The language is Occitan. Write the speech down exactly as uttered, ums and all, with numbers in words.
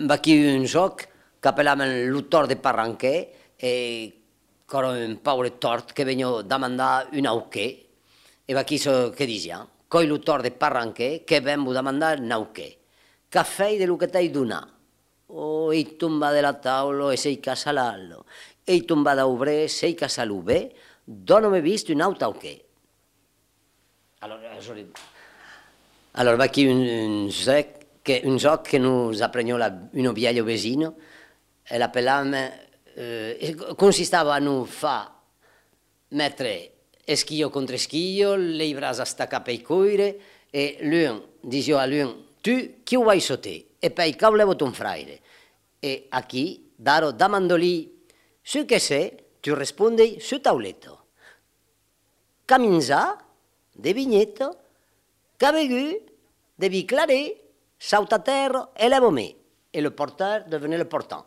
Vaquí un jòc qu'apelavan lo tòrt de Parranquet e qu'èra un paure tòrt que veniá damandar un auquet. E vaquí çò que disiá: Qu'òi lo tòrt de Parranquet que ven vos damandar un auquet. Qu'a fèit de lo que t'ai donat? Oh, ei tombat de la taula e s'ei cassat l'ala. Ei tombat dau bret, s'ei cassat lo bret. Dona-me viste un aute auquet. Alòrs, alòrs, alòrs, vaquí un, un jòc que, un jòc que nos apreniá la, una vièlha vesina, e l'apelavan, eh, e consistava a nos far metre esquilha contra esquilha, lei braç estacats pei coire, e l'un disiá a l'un: Tu, quiu vai sota? E pei: Quau lèva ton fraire? E aquí, d'ara, demanda-li çò que sè, tu respondei: Sota tauleta. Qu'a minjat? De vinheta. Qu'a begut? De vin claret. Sauta a tèrra e lèva-me. Et le porteur devenait le portant.